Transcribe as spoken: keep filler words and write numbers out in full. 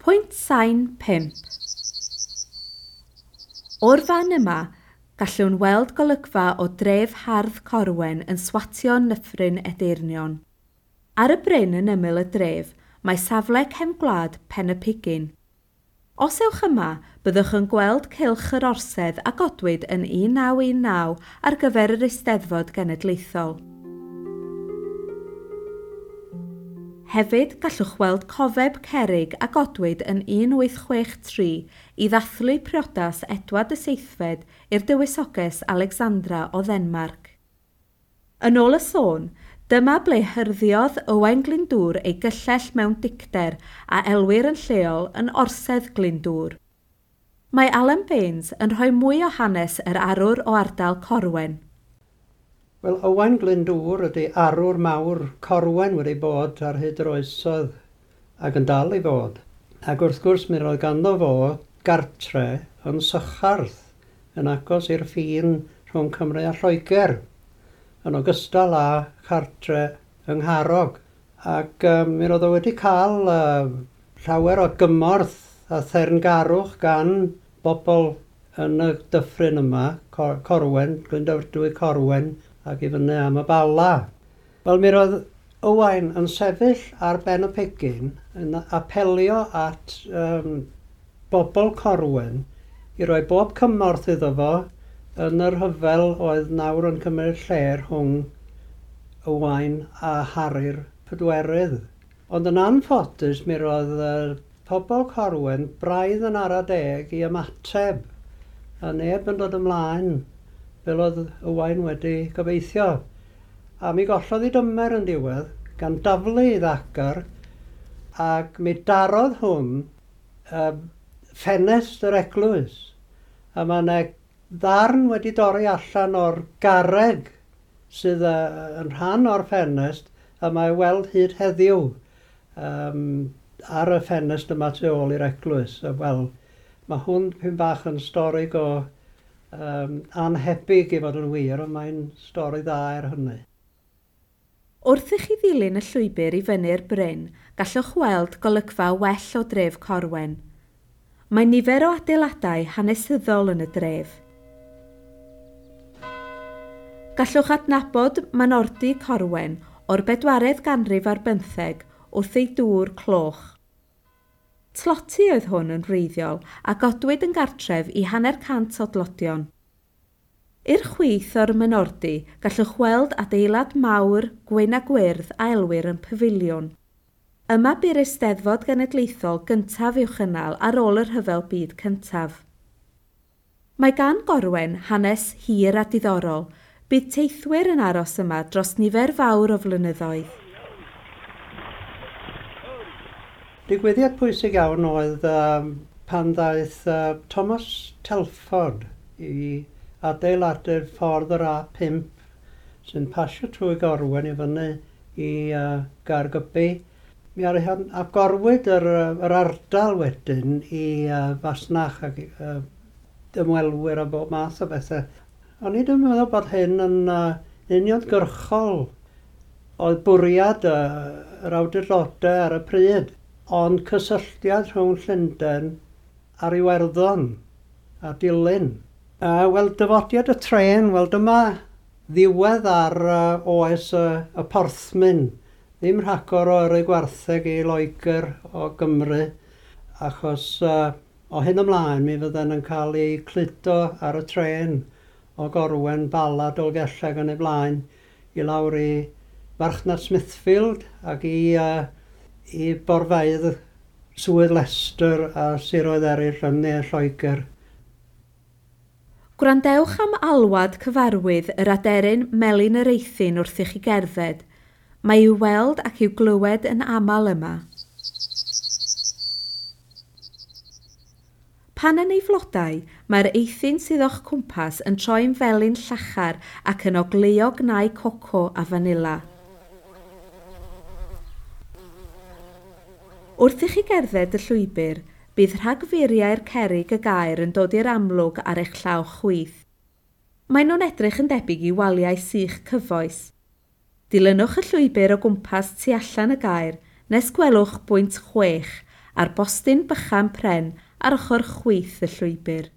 Pwynt sain pump. O'r fan yma, gallwn weld golygfa o dref hardd Corwen yn swatio Nyffryn Edeyrnion. Ar y bryn yn ymyl y dref, mae safle cefn gwlad Pen y Pigyn. Os ewch yma, byddwch yn gweld cylch yr orsedd a godwyd yn un naw un naw ar gyfer yr Eisteddfod Genedlaethol. Hefyd, gallwch weld cofeb cerrig a godwyd yn un wyth chwech tri i ddathlu priodas Edward y Seithfed i'r dywysoges Alexandra o Ddenmarc. Yn ôl y sôn, dyma ble hyrddiodd Owain Glyndŵr ei gyllell mewn dicter a elwir yn lleol yn Orsedd Glyndŵr. Mae Alan Baines yn rhoi mwy o hanes yr arwr o ardal Corwen. Wel, Owain Glyndŵr ydy arwr mawr Corwen wedi bod ar hyd yr oesoedd ac yn dal i fod. Ac wrth gwrs mi roedd ganddo fo gartre yn Sycharth, yn agos i'r ffin rhwng Cymru a Lloegr, yn ogystal â chartre yng Ngharrog. Ac um, mi roedd o wedi cael uh, llawer o gymorth a therngarwch gan bobl yn y dyffryn yma, Cor- Corwen, Glyndwrdwy Corwen, ac i fyny am y Bala. Wel, mi roedd Owain yn sefyll ar ben y pegyn yn apelio at um, bobl Corwen i roi bob cymorth iddo fo yn yr rhyfel oedd nawr yn cymryd lle rhwng Owain a Harri'r Pedwerydd. Ond yn anffodus, mi roedd uh, pobl Corwen braidd yn ara deg i ymateb, a neb yn dod ymlaen fel oedd Owain wedi gobeithio. A mi gollodd ei dymer yn diwedd, gan daflu ei ddagr, ac mi darodd hwn uh, ffenest yr eglwys. A mae yna ddarn wedi dorri allan o'r garreg sydd uh, yn rhan o'r ffenest, a mae weld hyd heddiw um, ar y ffenest yma tu ôl i'r eglwys. Wel, mae hwn pyn bach yn stori go um, anhebyg i fod yn wir, ond mae'n stori dda er hynny. Wrth i chi ddilyn y llwybr i fyny'r bryn, gallwch weld golygfa well o dref Corwen. Mae nifer o adeiladau hanesyddol yn y dref. Gallwch adnabod Maenordy Corwen o'r bedwaredd ganrif ar bymtheg wrth ei dŵr cloch. Tloty oedd hwn yn wreiddiol a godwyd yn gartref i hanner cant o dlodion. I'r chwith o'r Maenordy, gallwch weld adeilad mawr, gwyn a gwyrdd a elwir yn pafiliwn. Yma bu'r Eisteddfod Genedlaethol gyntaf i'w chynnal ar ôl y Rhyfel Byd Cyntaf. Mae gan Gorwen hanes hir a diddorol. Bydd teithwyr yn aros yma dros nifer fawr o flynyddoedd. Digwyddiad pwysig iawn oedd um, pan ddaeth uh, Thomas Telford i adeiladu'r ffordd yr A pump sy'n pasio trwy Gorwen i fyny i uh, Gaergybi. Mi agorwyd yr, yr ardal wedyn i uh, fasnach ac uh, ymwelwyr a bob math o bethau. O'n i ddim yn meddwl bod hyn yn uh, uniongyrchol oedd bwriad uh, yr awdurdodau ar y pryd, ond cysylltiad rhwng Llundain a'r Iwerddon a Dulyn. Uh, Wel, dyfodiad y tren, wel dyma ddiwedd ar uh, oes uh, y porthmyn. Ddim rhagor o yrru gwartheg i Loegr o Gymru, achos uh, o hyn ymlaen mi fydden yn cael ei cludo ar y tren o Gorwen, Bala, Dolgellau yn ei blaen i lawr i farchnad Smithfield ac i, uh, i borfeydd Swydd Leicester a siroedd eraill yn ne Lloegr. Gwrandewch am alwad cyfarwydd yr aderyn melyn yr eithin wrth i chi gerdded. Mae i'w weld ac i'w glywed yn aml yma. Pan yn ei flodau, mae'r eithin sydd o'ch cwmpas yn troi'n felyn llachar ac yn ogleuo gnau coco a fanila. Wrth i chi gerdded y llwybr, bydd rhagfuriau'r cerrig y gaer yn dod i'r amlwg ar eich llaw chwith. Maen nhw'n edrych yn debyg i waliau sych cyfoes. Dilynwch y llwybr o gwmpas tu allan y gaer nes gwelwch bwynt chwech a'r bostyn bychan pren ar ochr chwith y llwybr.